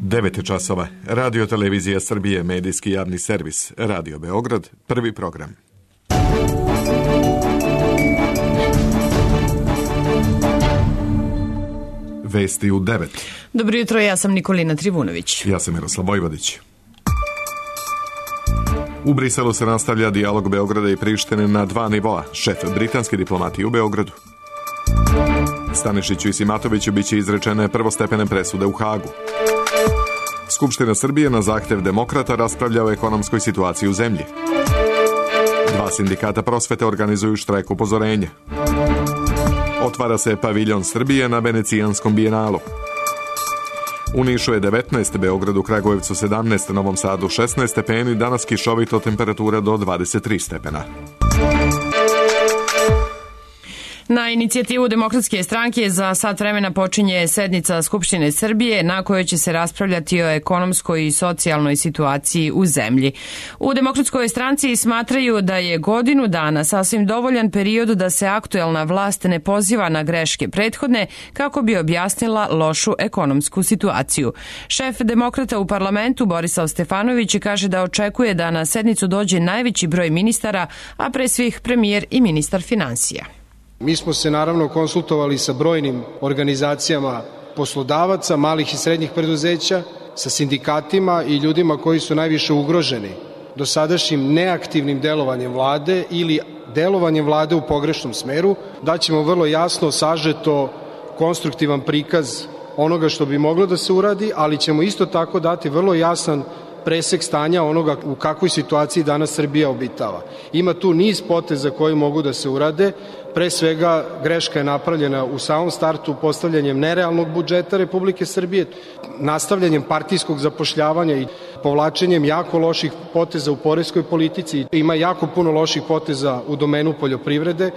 9 časova. Radio Televizija Srbije, medijski javni servis. Radio Beograd, prvi program. Vesti u 9. Dobro jutro, ja sam Nikolina Trivunović. Ja sam Miroslav Vojvodić. U Briselu se nastavlja dijalog Beograda i Prištine na 2 nivoa. Šef britanske diplomatije u Beogradu. Stanišiću i Simatoviću biće izrečene prvostepene presude u Hagu. Skupština Srbije na zahtev demokrata raspravlja o ekonomskoj situaciji u zemlji. 2 sindikata prosvete organizuju štrajk upozorenja. Otvara se paviljon Srbije na Venecijanskom bijenalu. U Nišu je 19, Beogradu, Kragujevcu 17, Novom Sadu 16 stepeni, danas kišovito, temperatura do 23 stepena. Na inicijativu Demokratske stranke za sat vremena počinje sednica Skupštine Srbije na kojoj će se raspravljati o ekonomskoj i socijalnoj situaciji u zemlji. U Demokratskoj stranci smatraju da je godinu dana sasvim dovoljan period da se aktuelna vlast ne poziva na greške prethodne kako bi objasnila lošu ekonomsku situaciju. Šef demokrata u parlamentu Borislav Stefanović kaže da očekuje da na sednicu dođe najveći broj ministara, a pre svih premijer i ministar finansija. Mi smo se naravno konsultovali sa brojnim organizacijama poslodavaca, malih i srednjih preduzeća, sa sindikatima i ljudima koji su najviše ugroženi dosadašnjim neaktivnim delovanjem vlade ili delovanjem vlade u pogrešnom smeru. Daćemo vrlo jasno, sažeto, konstruktivan prikaz onoga što bi moglo da se uradi, ali ćemo isto tako dati vrlo jasan presek stanja onoga u kakvoj situaciji danas Srbija obitava. Ima tu niz poteza koji mogu da se urade. Pre svega, greška je napravljena u samom startu postavljanjem nerealnog budžeta Republike Srbije, nastavljanjem partijskog zapošljavanja i povlačenjem jako loših poteza u poreskoj politici. Ima jako puno loših poteza u domenu poljoprivrede.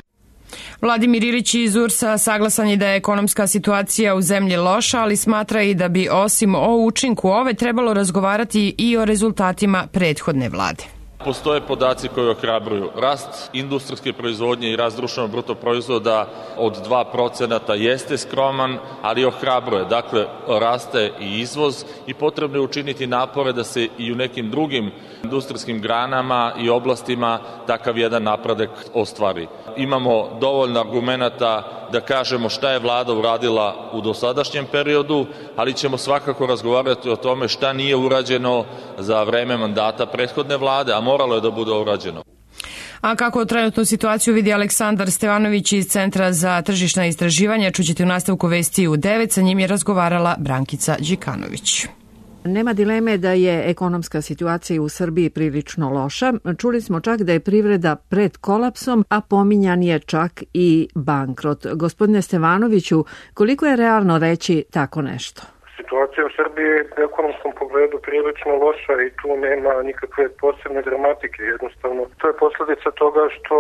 Vladimir Ilić iz URS-a saglasan je da je ekonomska situacija u zemlji loša, ali smatra i da bi osim o učinku ove trebalo razgovarati i o rezultatima prethodne vlade. Postoje podaci koji ohrabruju. Rast industrijske proizvodnje i rast društvenog bruto proizvoda od 2% jeste skroman, ali ohrabruje. Dakle, raste i izvoz i potrebno je učiniti napore da se i u nekim drugim industrijskim granama i oblastima takav jedan napredak ostvari. Imamo dovoljno argumenata da kažemo šta je vlada uradila u dosadašnjem periodu, ali ćemo svakako razgovarati o tome šta nije urađeno za vreme mandata prethodne vlade, a moralo je da bude urađeno. A kako trenutnu situaciju vidi Aleksandar Stevanović iz Centra za tržišna istraživanja, čućete u nastavku vesti u 9, sa njim je razgovarala Brankica Đikanović. Nema dileme da je ekonomska situacija u Srbiji prilično loša. Čuli smo čak da je privreda pred kolapsom, a pominjan je čak i bankrot. Gospodine Stevanoviću, koliko je realno reći tako nešto? Situacija u Srbiji je u ekonomskom pogledu prilično loša i tu nema nikakve posebne dramatike. Jednostavno, to je posljedica toga što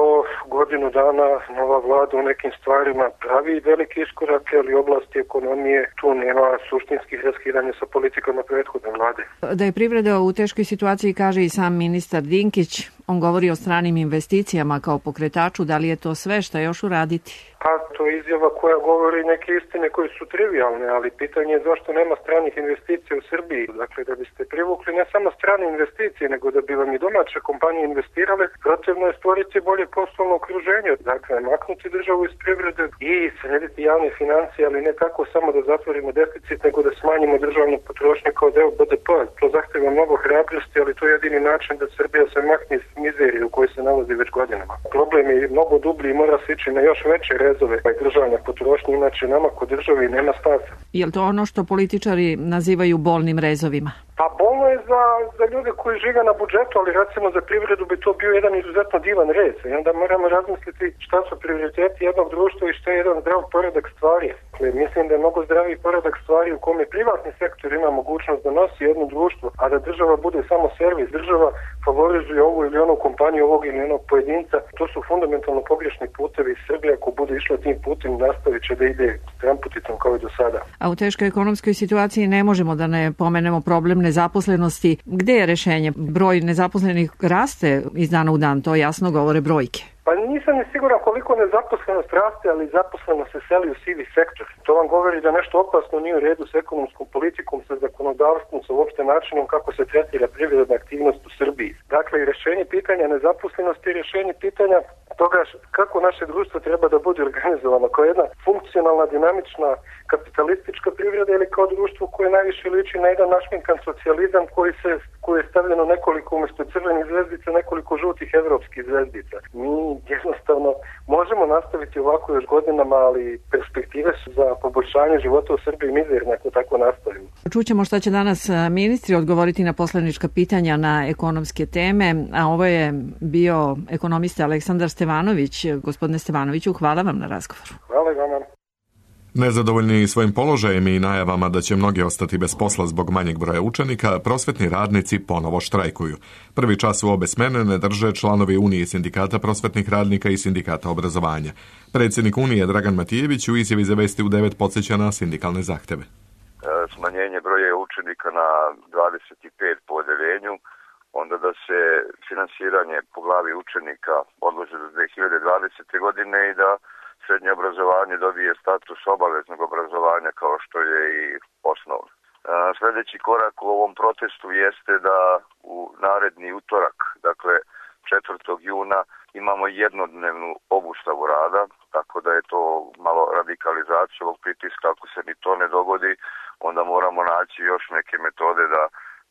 godinu dana nova vlada u nekim stvarima pravi velike iskorake, ali oblasti ekonomije tu nema suštinskih raskidanja sa politikama prethodne vlade. Da je privreda u teškoj situaciji kaže i sam ministar Dinkić. On govori o stranim investicijama kao pokretaču. Da li je to sve što još uraditi? Pa to je izjava koja govori neke istine koje su trivialne, ali pitanje je zašto nema stranih investicija u Srbiji. Dakle, da biste privukli ne samo strane investicije, nego da bi vam i domaće kompanije investirale, potrebno je stvoriti bolje poslovno okruženje. Dakle, maknuti državu iz privrede i srediti javne financije, ali ne tako samo da zatvorimo deficit, nego da smanjimo državnu potrošnju kao deo BDP-a. To zahteva mnogo hrabrosti, ali to je jedini način da Srbija se makne iz mizerije u kojoj se nalazi već godinama. Problem je mnogo dublji i mora se ići na još veće rezove državne potrošnje, inače nama kod države nema stasa. Je li to ono što političari nazivaju bolnim rezovima? Pa bolno je za ljude koji žive na budžetu, ali recimo za privredu bi to bio jedan izuzetno divan rez. I onda moramo razmisliti šta su prioriteti jednog društva i šta je jedan zdrav poredak stvari. Dakle, mislim da je mnogo zdraviji poredak stvari u kome privatni sektor ima mogućnost da nosi jedno društvo, a da država bude samo servis. Država favorizuje ovu ili onu kompaniju, ovog ili onog pojedinca. To su fundamentalno pogrešni putevi. Srbija ako bude išla tim putem nastavit će da ide tramputicom kao i do sada. A u teškoj ekonomskoj situaciji ne možemo da ne pomenemo problem nezaposlenosti. Gde je rešenje? Broj nezaposlenih raste iz dana u dan, to jasno govore brojke. Pa nisam ni siguran koliko nezaposlenost raste, ali zaposlenost se seli u sivi sektor. To vam govori da nešto opasno nije u redu s ekonomskom politikom, sa zakonodavstvom, sa uopšte načinom kako se tretira privredna aktivnost u Srbiji. Dakle, i rešenje pitanja nezaposlenosti i rešenje pitanja toga kako naše društvo treba da bude organizovano, kao jedna funkcionalna, dinamična, kapitalistička privreda ili kao društvo koje najviše liči na jedan našminkan socijalizam koji je stavljeno nekoliko umesto crvenih zvezdica, nekoliko žutih evropskih zvezdica. Mi jednostavno možemo nastaviti ovako još godinama, ali perspektive su za poboljšanje života u Srbiji mizerne ako tako nastavimo. Čućemo šta će danas ministri odgovoriti na poslanička pitanja na ekonomske teme, a ovo je bio ekonomista Aleksandar Stevanović. Gospodine Stevanoviću, hvala vam na razgovoru. Hvala i vama. Nezadovoljni svojim položajem i najavama da će mnogi ostati bez posla zbog manjeg broja učenika, prosvetni radnici ponovo štrajkuju. Prvi čas u obe smene ne drže članovi Unije sindikata prosvetnih radnika i sindikata obrazovanja. Predsjednik Unije Dragan Matijević u izjavi za Vesti u 9 podsjeća na sindikalne zahteve. Smanjenje broja učenika na 25 po odeljenju, onda da se finansiranje po glavi učenika odloži do 2020. godine i da srednje obrazovanje dobije status obaveznog obrazovanja kao što je i osnovno. Sljedeći korak u ovom protestu jeste da u naredni utorak, dakle 4. juna, imamo jednodnevnu obustavu rada, tako da je to malo radikalizacija ovog pritiska. Ako se ni to ne dogodi, onda moramo naći još neke metode da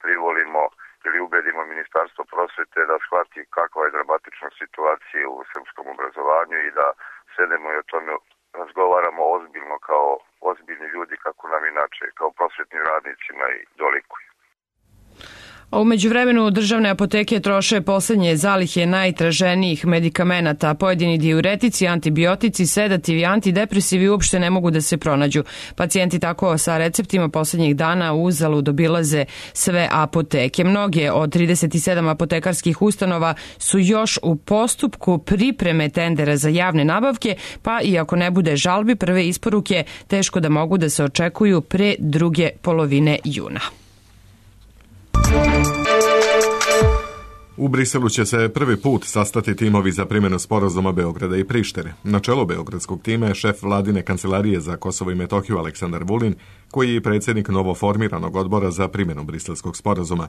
privolimo ili ubedimo Ministarstvo prosvete da shvati kakva je dramatična situacija u srpskom obrazovanju i da sedemo i o tome razgovaramo ozbiljno kao ozbiljni ljudi kako nam inače kao prosvetnim radnicima i dolikuju. A u međuvremenu državne apoteke troše poslednje zalihe najtraženijih medikamenata. Pojedini diuretici, antibiotici, sedativi, antidepresivi uopšte ne mogu da se pronađu. Pacijenti tako sa receptima poslednjih dana uzalud obilaze sve apoteke. Mnoge od 37 apotekarskih ustanova su još u postupku pripreme tendera za javne nabavke, pa i ako ne bude žalbi, prve isporuke teško da mogu da se očekuju pre druge polovine juna. U Briselu će se prvi put sastati timovi za primjenu sporazuma Beograda i Prištine. Na čelo beogradskog tima je šef vladine kancelarije za Kosovo i Metohiju Aleksandar Vulin, koji je predsjednik novoformiranog odbora za primjenu briselskog sporazuma.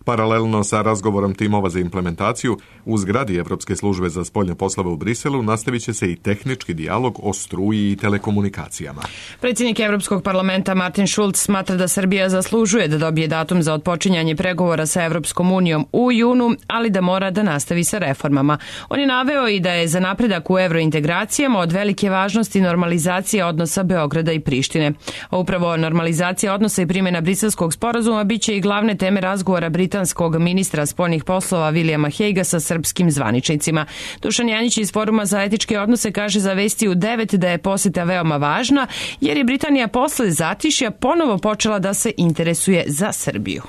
Paralelno sa razgovorom timova za implementaciju, u zgradi Evropske službe za spoljne poslove u Briselu nastavit će se i tehnički dijalog o struji i telekomunikacijama. Predsjednik Evropskog parlamenta Martin Schulz smatra da Srbija zaslužuje da dobije datum za otpočinjanje pregovora sa Evropskom unijom u junu, ali da mora da nastavi sa reformama. On je naveo i da je za napredak u evrointegracijama od velike važnosti normalizacija odnosa Beograda i Prištine. A upravo normalizacija odnosa i primjena briselskog sporazuma biće i glavne teme razgovora britanskog ministra spoljnih poslova Williama Haguea sa srpskim zvaničnicima. Dušan Janjić iz Foruma za etičke odnose kaže za Vesti u 9 da je poseta veoma važna, jer je Britanija posle zatišja ponovo počela da se interesuje za Srbiju.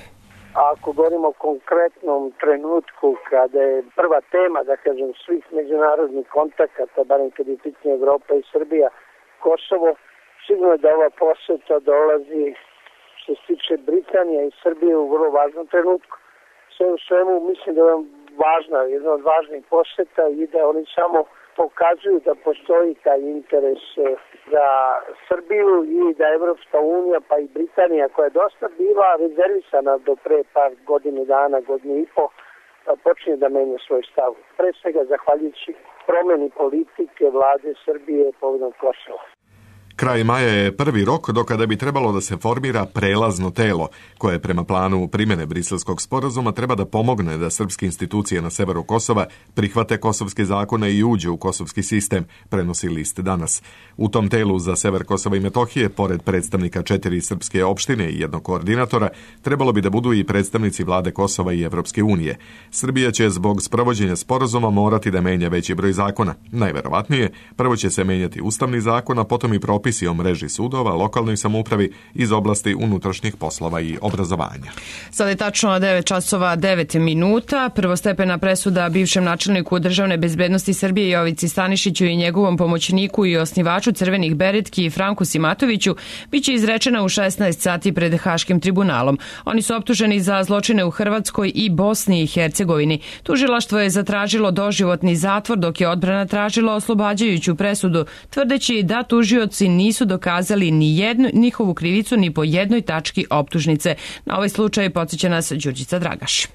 Ako govorimo o konkretnom trenutku kada je prva tema, da kažem, svih međunarodnih kontakata, barem kad je pitanje Evropa i Srbija, Kosovo, sigurno da ova poseta dolazi što se tiče Britanije i Srbije u vrlo važnom trenutku. Sve u svemu mislim da je važna, jedna od važnih poseta i da oni samo pokazuju da postoji taj interes za Srbiju i da Evropska unija pa i Britanija, koja je dosta bila rezervisana do pre par godine dana, godine i po, počinje da menja svoj stav. Pre svega zahvaljujući promeni politike vlade Srbije povodom Kosova. Kraj maja je prvi rok do kada bi trebalo da se formira prelazno telo, koje prema planu primjene briselskog sporazuma treba da pomogne da srpske institucije na severu Kosova prihvate kosovske zakone i uđe u kosovski sistem, prenosi list Danas. U tom telu za sever Kosova i Metohije, pored predstavnika 4 srpske opštine i jednog koordinatora, trebalo bi da budu i predstavnici vlade Kosova i Evropske unije. Srbija će zbog sprovođenja sporazuma morati da menja veći broj zakona. Najverovatnije, prvo će se menjati ustavni zakon, a potom i propisi ovisi o mreži sudova, lokalnoj samoupravi iz oblasti unutrašnjih poslova i obrazovanja. Sada je tačno 9 časova 9 minuta. Prvostepena presuda bivšem načelniku Državne bezbednosti Srbije Jovici Stanišiću i njegovom pomoćniku i osnivaču Crvenih beretki Franku Simatoviću biće izrečena u 16 sati pred Haškim tribunalom. Oni su optuženi za zločine u Hrvatskoj i Bosni i Hercegovini. Tužilaštvo je zatražilo doživotni zatvor, dok je odbrana tražila oslobađajuću presudu, tvrdeći da tužioci nisu dokazali ni jednu njihovu krivicu ni po jednoj tački optužnice. Na ovaj slučaj podsjeća nas Đurđica Dragaš.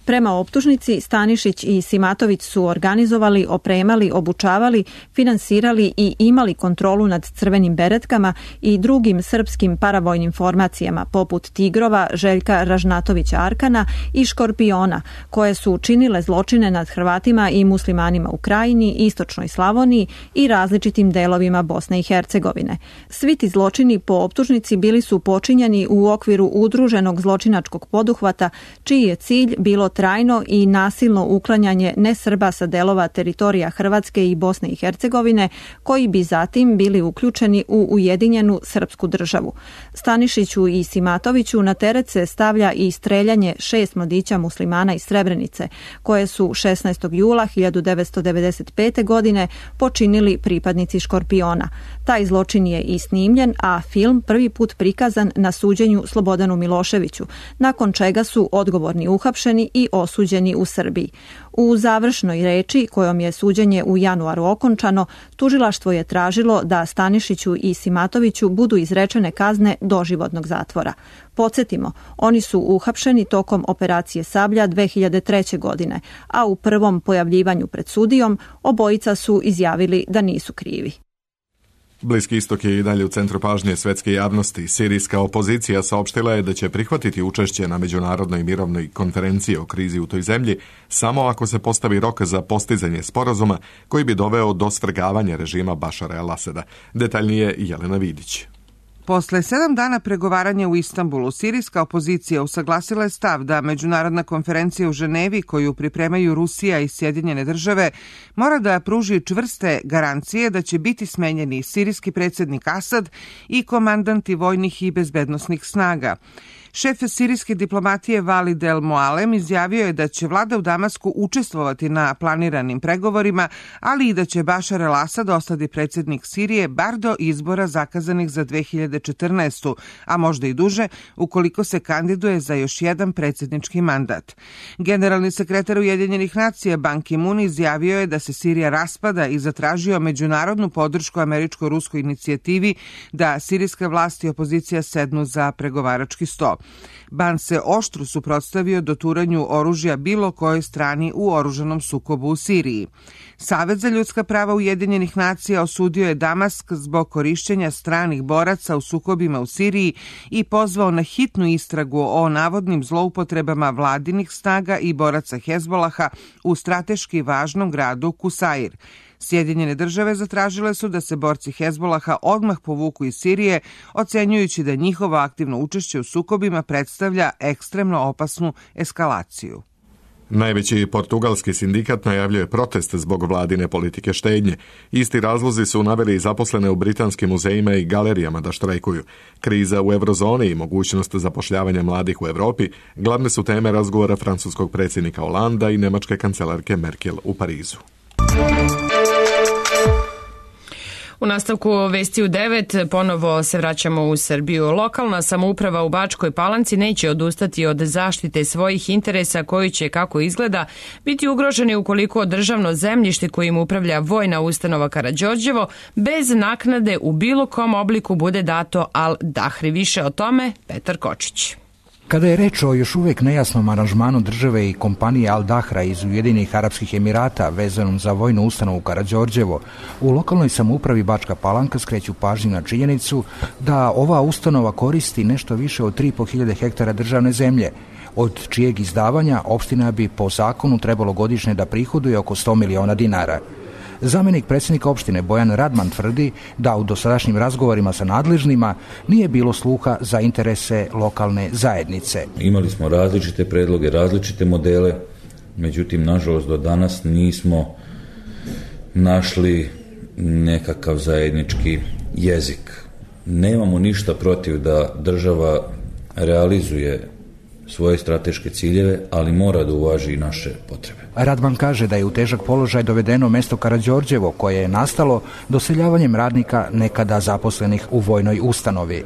Prema optužnici, Stanišić i Simatović su organizovali, opremali, obučavali, finansirali i imali kontrolu nad Crvenim beretkama i drugim srpskim paravojnim formacijama poput Tigrova, Željka Ražnatovića Arkana i Škorpiona, koje su činile zločine nad Hrvatima i muslimanima u Krajini, Istočnoj Slavoniji i različitim delovima Bosne i Hercegovine. Svi ti zločini po optužnici bili su počinjeni u okviru udruženog zločinačkog poduhvata, čiji je cilj bilo trajno i nasilno uklanjanje nesrba sa delova teritorija Hrvatske i Bosne i Hercegovine, koji bi zatim bili uključeni u ujedinjenu srpsku državu. Stanišiću i Simatoviću na teret se stavlja i streljanje 6 mladića muslimana iz Srebrenice, koje su 16. jula 1995. godine počinili pripadnici Škorpiona. Taj zločin je i snimljen, a film prvi put prikazan na suđenju Slobodanu Miloševiću, nakon čega su odgovorni uhapšeni i osuđeni u Srbiji. U završnoj reči, kojom je suđenje u januaru okončano, tužilaštvo je tražilo da Stanišiću i Simatoviću budu izrečene kazne doživotnog zatvora. Podsjetimo, oni su uhapšeni tokom operacije Sablja 2003. godine, a u prvom pojavljivanju pred sudijom obojica su izjavili da nisu krivi. Bliski istok je i dalje u centru pažnje svetske javnosti. Sirijska opozicija saopštila je da će prihvatiti učešće na međunarodnoj mirovnoj konferenciji o krizi u toj zemlji samo ako se postavi rok za postizanje sporazuma koji bi doveo do svrgavanja režima Bašara el-Asada. Detaljnije Jelena Vidić. Posle 7 dana pregovaranja u Istanbulu, sirijska opozicija usaglasila je stav da međunarodna konferencija u Ženevi, koju pripremaju Rusija i Sjedinjene države, mora da pruži čvrste garancije da će biti smenjeni sirijski predsjednik Asad i komandanti vojnih i bezbednosnih snaga. Šef sirijske diplomatije Valid El Moalem izjavio je da će vlada u Damasku učestvovati na planiranim pregovorima, ali i da će Bašar el-Asad ostati predsjednik Sirije bar do izbora zakazanih za 2014. a možda i duže ukoliko se kandiduje za još jedan predsjednički mandat. Generalni sekretar Ujedinjenih nacija Ban Ki-moon izjavio je da se Sirija raspada i zatražio međunarodnu podršku američko-ruskoj inicijativi da sirijska vlast i opozicija sednu za pregovarački sto. Ban se oštro suprotstavio doturanju oružja bilo kojoj strani u oružanom sukobu u Siriji. Savet za ljudska prava Ujedinjenih nacija osudio je Damask zbog korišćenja stranih boraca u sukobima u Siriji i pozvao na hitnu istragu o navodnim zloupotrebama vladinih snaga i boraca Hezbolaha u strateški važnom gradu Kusair. Sjedinjene države zatražile su da se borci Hezbolaha odmah povuku iz Sirije, ocenjujući da njihovo aktivno učešće u sukobima predstavlja ekstremno opasnu eskalaciju. Najveći portugalski sindikat najavljuje protest zbog vladine politike štednje. Isti razlozi su naveli i zaposlene u britanskim muzejima i galerijama da štrajkuju. Kriza u eurozoni i mogućnost zapošljavanja mladih u Evropi glavne su teme razgovora francuskog predsjednika Holanda i nemačke kancelarke Merkel u Parizu. U nastavku vesti u 9 ponovo se vraćamo u Srbiju. Lokalna samouprava u Bačkoj Palanci neće odustati od zaštite svojih interesa koji će, kako izgleda, biti ugroženi ukoliko državno zemljište kojim upravlja vojna ustanova Karađorđevo bez naknade u bilo kom obliku bude dato Al Dahri. Više o tome Petar Kočić. Kada je reč o još uvijek nejasnom aranžmanu države i kompanije Al Dahra iz Ujedinjenih Arapskih Emirata vezanom za vojnu ustanovu Karađorđevo, u lokalnoj samoupravi Bačka Palanka skreću pažnju na činjenicu da ova ustanova koristi nešto više od 3.500 hektara državne zemlje, od čijeg izdavanja opština bi po zakonu trebalo godišnje da prihoduje oko 100 miliona dinara. Zamjenik predsjednika opštine Bojan Radman tvrdi da u dosadašnjim razgovorima sa nadležnima nije bilo sluha za interese lokalne zajednice. Imali smo različite predloge, različite modele, međutim, nažalost, do danas nismo našli nekakav zajednički jezik. Nemamo ništa protiv da država realizuje svoje strateške ciljeve, ali mora da uvaži i naše potrebe. Radman kaže da je u težak položaj dovedeno mesto Karađorđevo, koje je nastalo doseljavanjem radnika nekada zaposlenih u vojnoj ustanovi.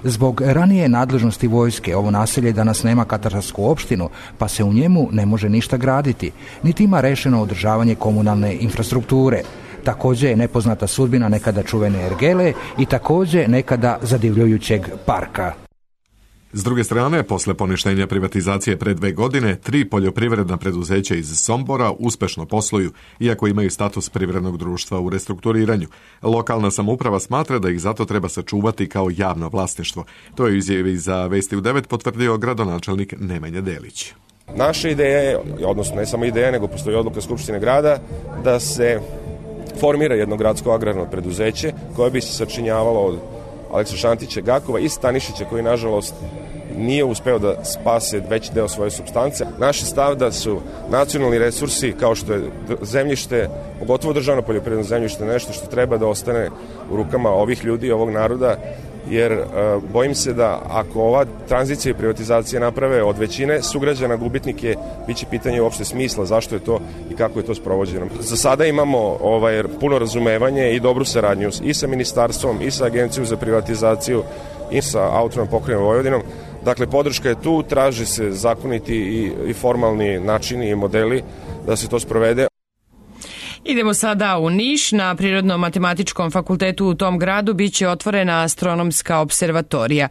Zbog ranije nadležnosti vojske ovo naselje danas nema katastarsku opštinu, pa se u njemu ne može ništa graditi, niti ima rešeno održavanje komunalne infrastrukture. Takođe je nepoznata sudbina nekada čuvene ergele i takođe nekada zadivljujućeg parka. S druge strane, posle poništenja privatizacije pre 2 godine, 3 poljoprivredna preduzeća iz Sombora uspešno posluju, iako imaju status privrednog društva u restrukturiranju. Lokalna samouprava smatra da ih zato treba sačuvati kao javno vlasništvo. To je u izjavi za Vesti u 9 potvrdio gradonačelnik Nemanja Delić. Naša ideja je, odnosno ne samo ideja, nego postoji odluka Skupštine grada, da se formira jedno gradsko agrarno preduzeće koje bi se sačinjavalo od Aleksa Šantića Gakova i Stanišića, koji nažalost nije uspeo da spase veći deo svoje supstance. Naš je stav da su nacionalni resursi, kao što je zemljište, pogotovo državno poljoprivredno zemljište, nešto što treba da ostane u rukama ovih ljudi, ovog naroda, jer bojim se da ako ova tranzicija i privatizacija naprave od većine sugrađana gubitnike, bit će pitanje uopšte smisla zašto je to i kako je to sprovođeno. Za sada imamo puno razumevanje i dobru saradnju i sa ministarstvom, i sa Agencijom za privatizaciju, i sa Autonomnom pokrajinom Vojvodinom. Dakle, podrška je tu, traži se zakoniti i formalni načini i modeli da se to sprovede. Idemo sada u Niš. Na Prirodno-matematičkom fakultetu u tom gradu biće otvorena astronomska observatorija.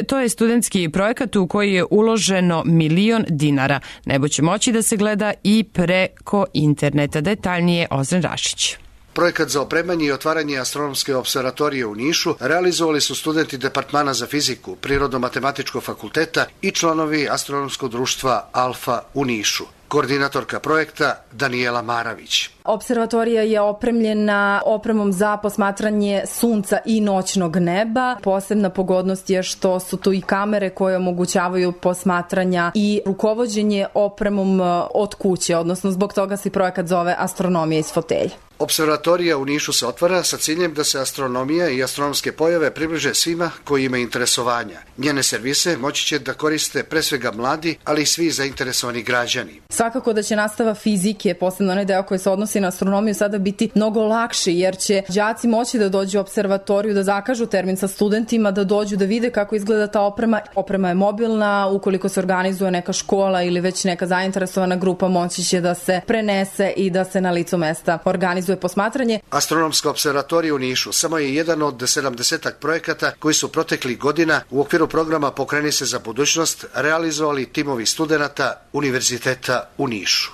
To je studentski projekat u koji je uloženo 1 milion dinara. Nebo će moći da se gleda i preko interneta. Detaljnije Ozren Rašić. Projekat za opremanje i otvaranje astronomske observatorije u Nišu realizovali su studenti Departmana za fiziku Prirodno-matematičkog fakulteta i članovi astronomskog društva Alfa u Nišu. Koordinatorka projekta Danijela Maravić. Observatorija je opremljena opremom za posmatranje sunca i noćnog neba. Posebna pogodnost je što su tu i kamere koje omogućavaju posmatranja i rukovođenje opremom od kuće, odnosno zbog toga se projekat zove Astronomija iz fotelje. Observatorija u Nišu se otvara sa ciljem da se astronomija i astronomske pojave približe svima koji imaju interesovanja. Njene servise moći će da koriste pre svega mladi, ali i svi zainteresovani građani. Svakako da će nastava fizike, posebno onaj deo koji se odnosi na astronomiju, sada biti mnogo lakši, jer će đaci moći da dođu u observatoriju, da zakažu termin sa studentima, da dođu da vide kako izgleda ta oprema. Oprema je mobilna, ukoliko se organizuje neka škola ili već neka zainteresovana grupa, moći će da se prenese i da se na licu mesta organizuje posmatranje. Astronomska observatorija u Nišu samo je jedan od 70-ak projekata koji su proteklih godina u okviru programa Pokreni se za budućnost realizovali timovi studenata Univerziteta u Nišu.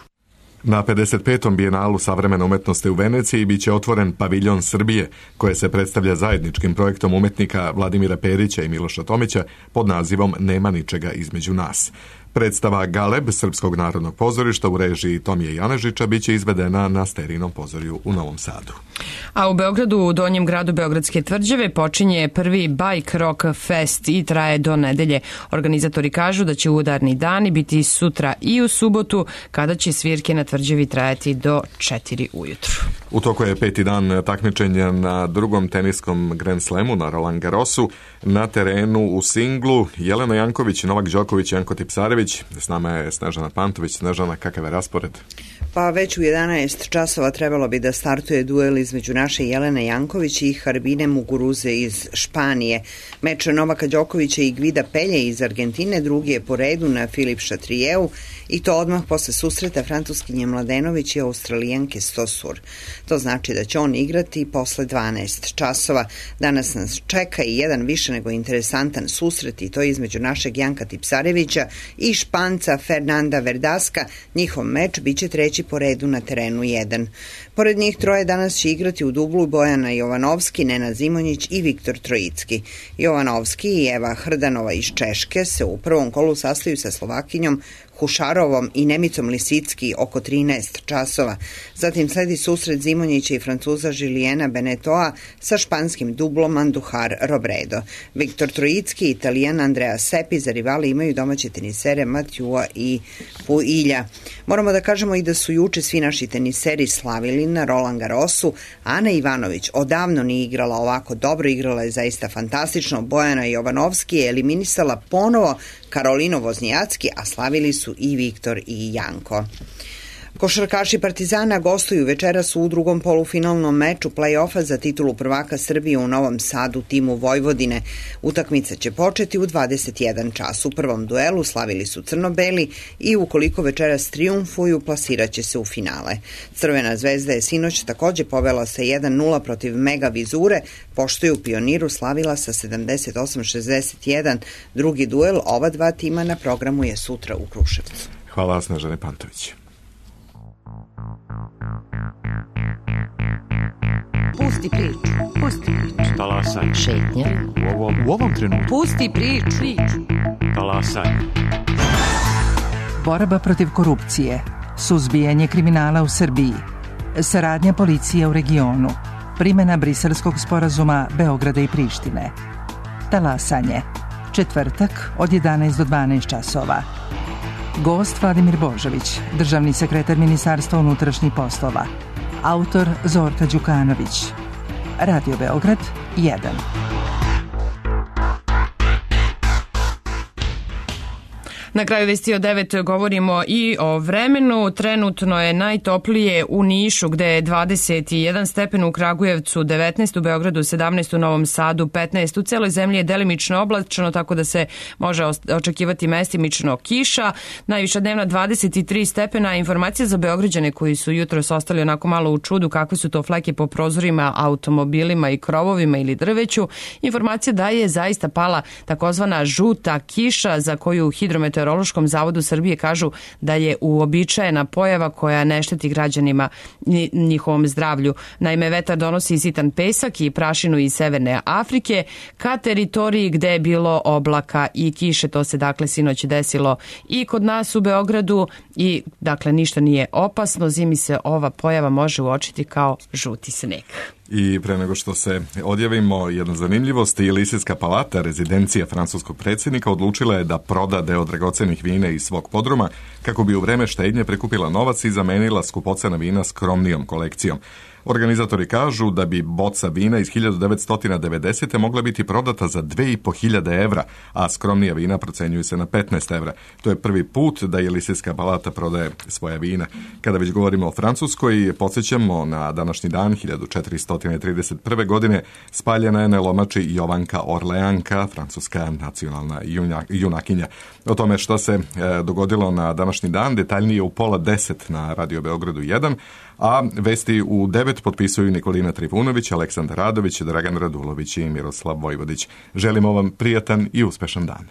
Na 55. bijenalu savremene umetnosti u Veneciji biće otvoren paviljon Srbije, koje se predstavlja zajedničkim projektom umetnika Vladimira Perića i Miloša Tomića pod nazivom Nema ničega između nas. Predstava Galeb Srpskog narodnog pozorišta u režiji Tomije Janežića biće izvedena na Sterinom pozorju u Novom Sadu. A u Beogradu, u Donjem gradu Beogradske tvrđave, počinje prvi Bike Rock Fest i traje do nedelje. Organizatori kažu da će udarni dani biti sutra i u subotu, kada će svirke na tvrđavi trajati do 4 ujutru. U toku je 5. dan takmičenja na drugom teniskom Grand Slamu na Roland Garrosu. Na terenu u singlu Jelena Janković, Novak Đoković, Janko Tipsarević. S nama je Snežana Pantović. Snežana, kakav je raspored? Pa već u 11 časova trebalo bi da startuje duel između naše Jelene Janković i Harbine Muguruze iz Španije. Meč Novaka Đokovića i Gvida Pelje iz Argentine drugi je po redu na Filip Šatrijeu i to odmah posle susreta Francuskinje Mladenović i Australijanke Stosur. To znači da će on igrati posle 12 časova. Danas nas čeka i jedan više nego interesantan susret i to između našeg Janka Tipsarevića i Španca Fernanda Verdaska. Njihov meč biće treći po redu na terenu 1. Pored njih troje danas će igrati u dublu Bojana Jovanovski, Nenad Zimonjić i Viktor Trojicki. Jovanovski i Eva Hrdanova iz Češke se u prvom kolu sastaju sa Slovakinjom Hušarovom i Nemicom Lisicki oko 13 časova. Zatim sledi susret Zimonjića i Francuza Žilijena Benetoa sa španskim dublom Andujar Robredo. Viktor Trojicki i Italijan Andrea Seppi za rivali imaju domaće tenisere Matjua i Puilja. Moramo da kažemo i da su juče svi naši teniseri slavili na Roland Garrosu. Ana Ivanović odavno nije igrala ovako dobro, igrala je zaista fantastično. Bojana Jovanovski je eliminisala ponovo Karolinu Voznijacki, a slavili su i Viktor i Janko. Košarkaši Partizana gostuju večeras u drugom polufinalnom meču play-offa za titulu prvaka Srbije u Novom Sadu timu Vojvodine. Utakmica će početi u 21 čas. U prvom duelu slavili su crno-beli i ukoliko večeras triumfuju, plasiraće se u finale. Crvena zvezda je sinoć takođe povela sa 1-0 protiv Mega Vizure, pošto je u Pioniru slavila sa 78-61. Drugi duel ova dva tima na programu je sutra u Kruševcu. Hvala, Snežane Pantović. Pusti priču, pusti priču. Talasaj. Šetnja. U ovom trenutku. Pusti priču. Talasaj. Borba protiv korupcije, suzbijanje kriminala u Srbiji, saradnja policije u regionu, primjena Briselskog sporazuma Beograda i Prištine. Talasanje. Četvrtak od 11 do 12 časova. Gost Vladimir Božović, državni sekretar Ministarstva unutrašnjih poslova. Autor Zorka Đukanović. Radio Beograd 1. Na kraju vesti od 9 govorimo i o vremenu. Trenutno je najtoplije u Nišu gde je 21 stepen, u Kragujevcu 19, u Beogradu 17, u Novom Sadu 15. U celoj zemlji je delimično oblačno, tako da se može očekivati mestimično kiša. Najviša dnevna 23 stepena. Informacija za Beograđane koji su jutros ostali onako malo u čudu kakve su to fleke po prozorima, automobilima i krovovima ili drveću. Informacija da je zaista pala takozvana žuta kiša za koju Hidrometeorološkom zavodu Srbije kažu da je uobičajena pojava koja ne šteti građanima njihovom zdravlju. Naime, vetar donosi sitan pesak i prašinu iz Severne Afrike ka teritoriji gde je bilo oblaka i kiše. To se dakle sinoć desilo i kod nas u Beogradu i dakle ništa nije opasno. Zimi se ova pojava može uočiti kao žuti sneg. I pre nego što se odjavimo, jedna zanimljivost, i Eliseska palata, rezidencija francuskog predsjednika, odlučila je da proda deo dragocenih vina iz svog podruma kako bi u vreme štednje prikupila novac i zamenila skupocena vina skromnijom kolekcijom. Organizatori kažu da bi boca vina iz 1990. mogla biti prodata za 2.500 evra, a skromnija vina procenjuju se na 15 evra. To je prvi put da Eliseska palata prodaje svoja vina. Kada već govorimo o Francuskoj, podsjećamo na današnji dan 1431. godine spaljena je na lomači Jovanka Orleanka, francuska nacionalna junakinja. O tome što se dogodilo na današnji dan detaljnije u 9:30 na Radio Beogradu 1, a vesti u 9 potpisuju Nikolina Trivunović, Aleksandar Radović, Dragan Radulović i Miroslav Vojvodić. Želimo vam prijatan i uspešan dan.